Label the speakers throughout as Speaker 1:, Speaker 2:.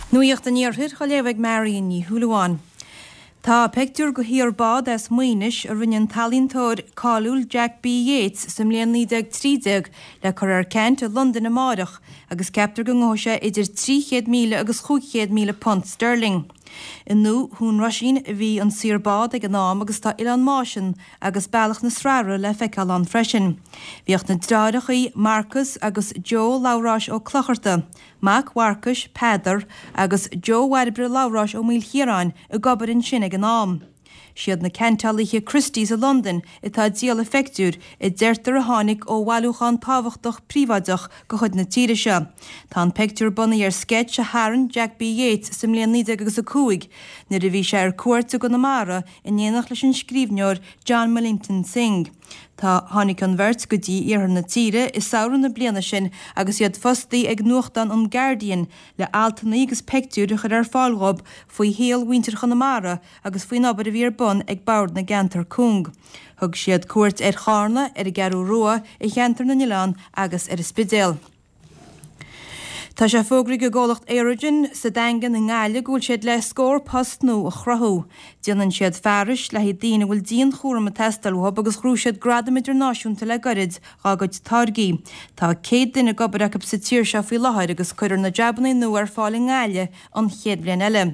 Speaker 1: Nuacht an Iarthair á léamh ag Marion Ní Shúilleabháin. Tá peictiúr de shaor bád as Maínis a rinne an t-ealaíontóir cáiliúil Jack B. Yeats sa mbliain 1913 le cur ar ceant i Londain amáireach agus ceaptar go ngabhfaidh sé idir 300,000 agus 500,000 punt sterling. I nDún Roisín a bhí an saor bád ag an am agus tá Oileán Máisean agus Bealach na Srathaire le feiceáil ann freisin. Bhíodh na deartháireachaí Marcas agus Joe Labhráis Ó Clocharta, mac Mharcais, Peadar, agus Joe Bhairbre Labhráis Ó Maoilchiaráin ag obair ansin ag an am. Siad na ceantálaithe Christie's i Londain atá ag díol an phictiúir, a deirtear a tháinig ó bhailiúchán tábhachtach príobháideach de chuid na tíre seo. Tá an pictiúr bunaithe ar sceits a tharraing Jack B. Yeats sa mbliain 19 agus 5 nuair a bhí sé ar cuairt i gConamara in éineacht leis an scríbhneoir John Millington Synge. Tá tháinig an bheirt go dtí iarthar na tíre i samhradh na bliana sin agus iad fostaí ag nuachtán an Guardian le altanna agus peictiúir a chur ar fáil dhób faoi shaol mhuintir Chonamara agus faoin obair a bhí ar bun ag Bord na gCeantar Cúng. Thug siad cuairt ar Chárna, ar an gCeathrú Rua, ar Cheantar na nOileán agus ar an Spidéal. Tá sé fógraithe ag an gcomhlacht Aerogen sa Daingean i nGaillimh go bhfuil siad le scór post nua a chruthú. Déanann siad fearais le haghaidh daoine a bhfuil dianchúram ag teastáil uathu agus ghnóthaigh siad gradam idirnáisiúnta le gairid dhá gcuid táirgí. Tá 100 duine ag obair acu sa tír seo faoi láthair agus cuirfear na jabannaí nua ar fáil i nGaillimh an chéad bhliain eile.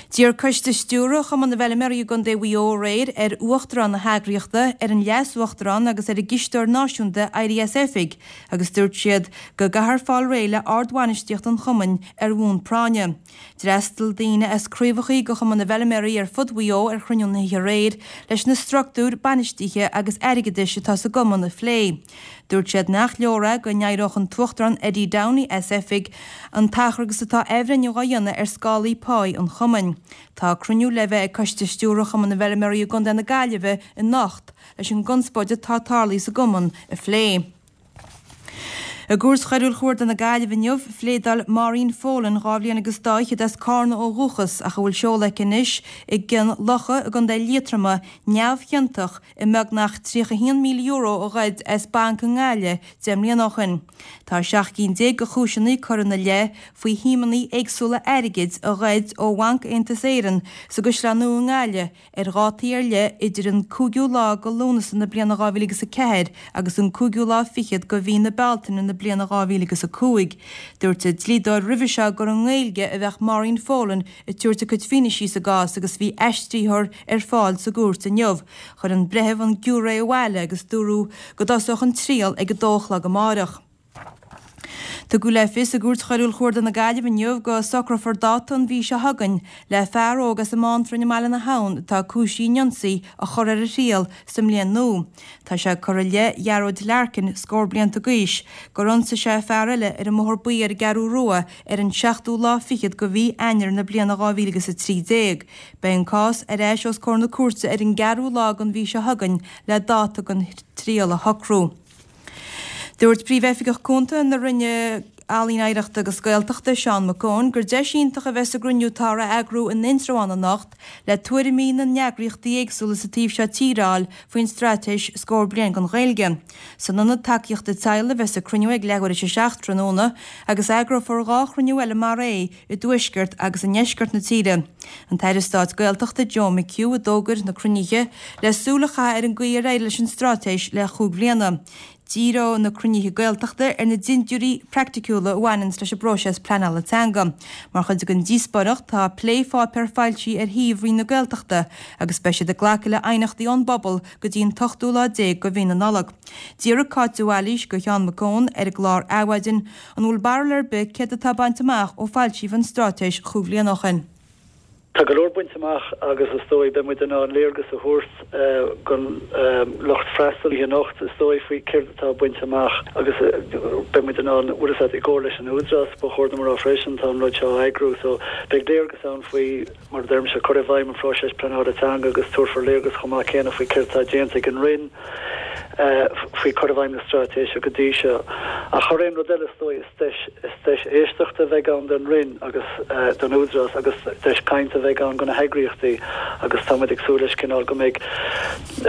Speaker 1: D'iarr Coiste Stiúrtha Chumann na bhFeilméaraí i gContae Mhaigh Eo aréir ar Uachtarán na heagraíochta, ar an Leas-Uachtarán agus ar an gCisteoir Náisiúnta éirí as oifig agus dúirt siad go gcaithfear fáil réidh le ardbhainistíocht an chumainn ar bhonn práinne. D'fhreastail daoine as craobhachaí de Chumann na bhFeilméaraí ar fud Mhaigh Eo ar chruinniú na hoíche aréir leis na structúir bainistithe agus airgeadais atá sa gcumann a phlé. Dúirt siad nach leor é go n-éireodh an tUachtarán Eddie Downey as oifig an t-achar agus atá athbhreithniú á dhéanamh ar scálaí páí an chumainn. Tá cruinniú le bheith ag Coiste Stiúrtha Chumann na bhFeilméaraí i gContae na Gaillimhe anocht leis an gconspóid atá tarlaithe sa gcumann a phlé. I gCúirt Choiriúil Chuarda na Gaillimhe inniu, phléadáil Maureen Folan, 2 bhliain agus dá fhichead as Cárna ó dhúchas ach a bhfuil seoladh aici anois i gCionn Locha i gContae Liatroma, neamhchiontach i mbeagnach €31,000 a ghoid as banc i nGaillimh 10 mbliana ó shin. Tá 17 cinn de chúiseanna curtha ina leith faoi shuimeanna éagsúla airgid a ghoid ó Bhanc Aontas Éireann sa gCaisleán Nua i nGaillimh ar dhátaí ar leith idir an 5ú lá de Lúnasa na bliana 2004 agus an cúigiú lá fichead de mhí na Bealtaine na bliana 2005. Dúirt a dlíodóir roimhe seo gur i nGaeilge a bheadh Maureen Folan ag tabhairt a cuid fianaise sa gcás agus bhí aistritheoir ar fáil sa gcúirt inniu. Chuir an breitheamh an giúiré abhaile agus dúradh go dtosódh an triail ag a dó a chlog amáireach. Tugadh le fios i gCúirt Choiriúil Chuarda na Gaillimhe inniu go socrófar dáta an mhí seo chugainn le fear óg as an mBántrainn i mBaile na hAbhann atá cúisithe in ionsaí a chur ar a thriail sa mbliain nua. Tá sé curtha i leith Ghearóid Larkin, scór blianta d'aois, gur ionsaigh sé fear eile ar an mBóthar Buí ar an gCeathrú Rua ar an seachtú lá fichead de mhí Eanáir na bliana 2013. Beidh an cás ar ais os comhair na cúirte ar an gceathrú lá den mhí seo chugainn le dáta don triail a shocrú. Dúirt Príomh-Oifigeach Cúnta na Roinne Ealaíon Oidhreachta agus Gaeltachta, Seán Mac Eoin, gur deis iontach a bheas sa gcruinniú atáthar a eagrú in Indreabhán anocht le tuairimí na n-eagraíochtaí éagsúla sa taobh seo tíre a fháil faoin straitéis Scór Bliain don Ghaeilge. San Ionad Tacaíochta Teaghlaigh a bheas an cruinniú ag leathuair tar éis a 7 tráthnóna agus eagrófar 2 chruinniú eile mar é i dtuaisceart agus i ndeisceart na tíre. An tAire Stáit Gaeltachta Joe McHugh a d'fhógair na cruinnithe le súil a chaitheamh ar an gcaoi ar éirigh leis an straitéis le chúig bhliana. Díreoidh na cruinnithe Gaeltachta ar na dintiúirí praiticiúla a bhaineanns leis an bpróiseas pleanála teanga. Mar chuid den díospóireacht tá plépháipéar foilsithe ar shuíomh Roinn na Gaeltachta agus beidh siad ag glacadh le aighneachtaí ón bpobal go dtí an t-ochtú lá déag de mhí na Nollag. D'fhiafraigh Cáit de Bhailís de Sheán Mac Eoin ar an gclár Adhmhaidin an bhfuil barúil ar bith céard atá bainte amach ó foilsíodh an straitéis chúig bhliana ó shin.
Speaker 2: Tá go leor bainte amach agus is dóigh beidh muid in ann léargas a thabhairt don lucht freastail anocht is dóigh faoi céard atá bainte amach agus beidh muid in ann, bhfuil a fhios agat, i gcomhar leis an Údarás, ba chóir dom a rá freisin, tá an rud seo á eagrú so beidh léargas ann faoi mar a deirimse, cur i bhfeidhm an phróisis pleanála teanga agus tabharfar léargas chomh maith céanna faoi céard atá déanta ag an Roinn. Faoi chur i bhfeidhm na straitéise go dtí seo. Ach thar aon rud eile, is dóigh, is deis, is deis éisteachta a bheidh ann don Roinn agus don Údarás agus deis cainte a bheidh ann do na heagraíochtaí agus tá muid ag súil leis cineál go mbeidh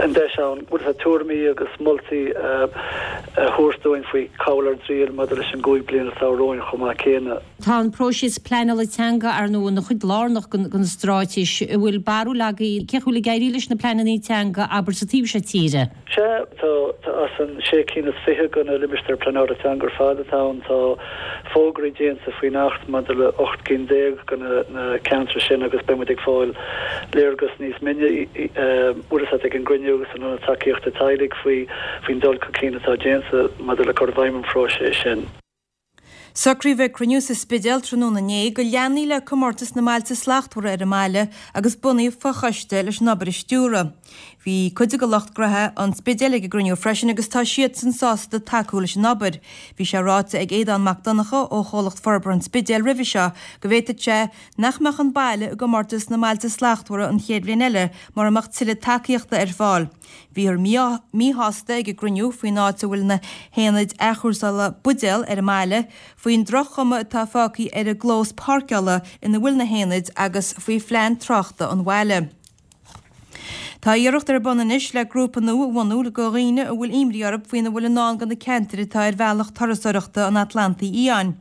Speaker 2: an deis ann bhfuil a fhios agat tuairimí agus moltaí a thabhairt dúinn faoi cá bhfuil ár dtriall maidir leis an gcúig bliana atá romhainn chomh maith céanna.
Speaker 3: Tá an próiseas pleanála teanga, ar ndóigh, ina chuid lárnach den stráitéis. An bhfuil barúil agaibh cén chaoi a bhfuil ag éirí leis na pleananna teanga, abair, sa taobh seo tíre?
Speaker 2: Sea, tá, tá as an sé cinn is fiche de na limistéir pleanála teanga ar fad atá ann, tá fógraí déanta faoin Acht maidir le 18 gcinn de na ceantair sin agus beidh muid ag fáil léargas níos mine, bhfuil a fhios agat, ag an gcruinniú san Ionad Tacaíochta Teaghlaigh faoi, faoin dul chun cinn atá déanta maidir le cur i bhfeidhm an phróiseas sin.
Speaker 1: Socraíodh ag cruinniú sa Spidéal tráthnóna inné go leanfaí le Comórtas na mBailte Slachtmhara ar an mbaile agus bunaíodh fochoiste leis an obair a stiúradh. Bhí cuid de lucht gnoithe an Spidéil ag an gcruinniú freisin agus tá siadsan sásta tacú leis an obair. Bhí sé ráite ag Aodán Mac Donncha ó Chomhlacht Forbartha an Spidéil roimhe seo go bhféadfadh sé nach mbeadh an baile i gcomórtas na mBailte Slachtmhara an chéad bhliain eile mura mbeadh tuilleadh tacaíochta ar fáil. Bhíothar míshásta ag an gcruinniú faoin áit a bhfuil na haonaid athchúrsála buidéal ar an mbaile, faoin droch-chuma atá fágtha ar an gclós páirceála ina bhfuil na haonaid agus faoi phlean tráchta an bhaile. Tá iarracht ar bun anois le grúpa nua a bhunú do dhaoine a bhfuil imní orthu faoina bhfuil i ndán do na ceantair atá ar bhealach turasóireachta an Atlantaigh Fhiáin.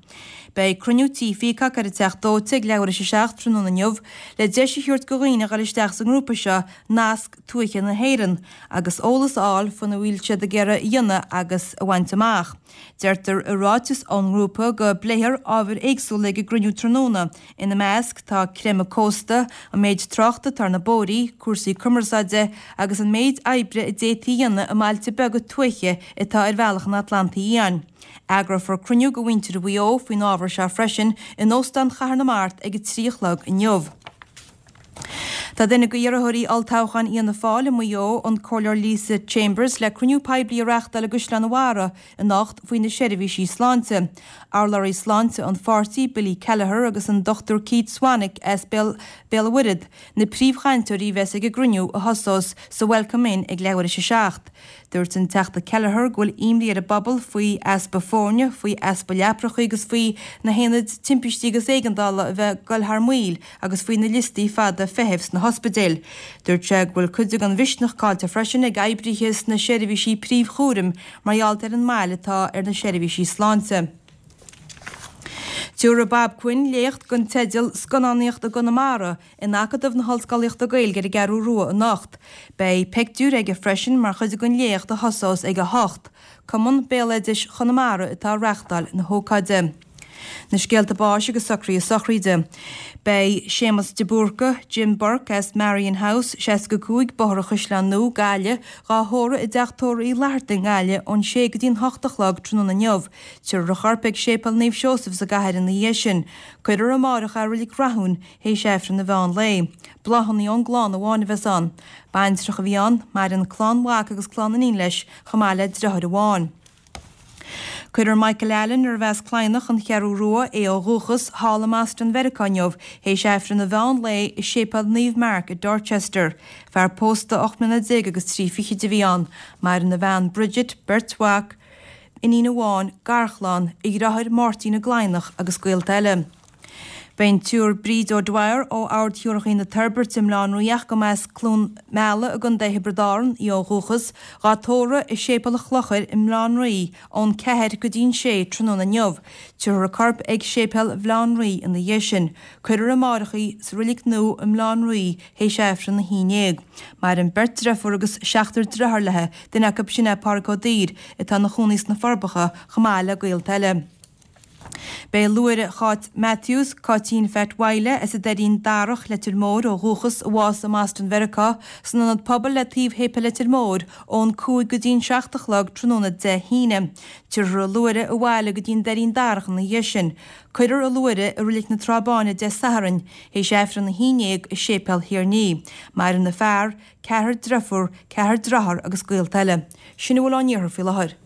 Speaker 1: Beidh cruinniú Tí Pheacock ar an Teach Dóite ag leathuair théis a 7 tráthnóna inniu le deis a thabhairt do dhaoine a dhul isteach sa ngrúpa seo Nasc Tuaithe na hÉireann agus eolas a fháil faoina bhfuil siad ag iarraidh a dhéanamh agus a bhaint amach. Deirtear i ráiteas ón ngrúpa go bpléifear ábhair éagsúla ag an gcruinniú tráthnóna, ina measc tá creimeadh cósta, an méid tráchta atá ar na bóithrí, cúrsaí cumarsáide agus an méid oibre a d'fhéadfaí a dhéanamh i mbailte beaga tuaithe atá ar bhealach an Atlantaigh Fhiáin. Eagrófar cruinniú do mhuintir Mhaigh Eo faoin ábhar seo freisin in Óstán Chathair na Mart ag 3 a chlog inniu. Tá duine d'iarrthóirí olltoghcháin Fhianna Fáil i Maigh Eo, an Comhairleoir Lisa Chambers, le cruinniú poiblí a reáchtáil i gCaisleán an Bharraigh anocht faoi na seirbhísí sláinte. Urlabhraí sláinte an pháirtí, Billy Kelleher agus an Dr Keith Swanick as Béal an Mhuirthead, na príomhchainteoirí a bheas ag an gcruinniú a thosós sa Welcome Inn ag leathuair théis a 7. Dúirt an Teachta Kelleher go bhfuil imní ar an bpobal faoi easpa foirne, faoi easpa leapracha agus faoi na haonaid timpistí agus éigeandála a bheith ag dul thar maoil agus faoi na liostaí fada feithimh sna hospidéil. Dúirt sé go bhfuil cuid den mhisneach caillte freisin ag oibrithe sna seirbhísí príomhchúraim mar gheall ar an mbail atá ar na seirbhísí sláinte. Tabharfaidh Bob Quinn léacht den teideal 'Scannánaíocht i gConamara' in Acadamh na hOllscolaíochta Gaeilge ar an gCeathrú Rua anocht. Beidh pictiúir aige freisin mar chuid den léacht a thosós ag 8. Cumann Béaloidis Chonamara atá ag reachtáil na hócáide. Na scéalta báis agus socruithe sochraide. Beidh Séamus de Búrca, Jim Burke as Marion House, 65, Bóthar an Chaisleáin Nua, Gaillimh, dhá thórramh i dTeach Tórraimh Uí Fhlatharta i nGaillimh ón sé go dtí'n hocht a chlog tráthnóna inniu. Tabharfar a chorp ag Séipéal Naomh Seosamh sa gcathair ina dhiaidh sin. Cuirfear amáireach é i Reilig Rathúin théis Aifreann an mheán lae. Bláthanna ón gclann amháin a bheas ann. Baintreach a bhí ann, maireann clann mhac agus clann iníon leis, chomh maith le deartháir amháin. Cuirfear Michael Allen, arbh as Cladhnach, An Cheathrú Rua, é ó dhúchas, thall i mBoston Mheiriceá inniu, théis Aifreann an mheán lae i Séipéal Naomh Mark i Dorchester. Fear pósta 18 mbliana agus trí fichid a bhí ann. Maireann a bhean Bridget, beirt mhac, iníon amháin, garchlann, a dheartháir Máirtín i gCladhnach agus gaolta eile. Beidh an tSiúr Bríd O'Dwyer ó Ard Shiúrachaí na Toirbhirte i mBaile Átha an Rí ach go mba as Cluain Meala i gContae Thiobraid Árann í ó dhúchas, dhá tórramh i Séipéal an Chlochair i mBaile Átha an Rí ón 4 go dtí'n 6 tráthnóna inniu. Tabharfar a corp ag Séipéal Bhaile Átha an Rí ina dhiaidh sin. Cuirfear amáireach í sa Reilig Nua i mBaile Átha an Rí théis Aifreann a haon dhéag. Maireann beirt driofúr agus seachtar driotháir léi, duine acu sin é Pádraig Ó Duibhir atá ina chónaí sna Forbacha chomh maith le gaolta eile. Beidh luaithre Cháit Matthews, Cáitín Phat Mhaidhle, as an Doirín Darach, Leitir Móir ó dhúchas, a bhásaigh i mBoston Mheiriceá, san Ionad Pobail le taobh Shéipéal Leitir Móir ón 5 go dtí'n 7 a chlog tráthnóna Dé hAoine. Tabharfar a luaithre abhaile go dtí'n Doirín Darach ina dhiaidh sin. Cuirfear a luaithre i Reilig na Trá Báine Dé Sathairn, théis Aifreann a haon dhéag i Séipéal Thír an Fhia. Maireann a fear, ceathrar driofúr, ceathrar driotháir agus gaolta eile. Sin a bhfuil ón iarthar faoi láthair.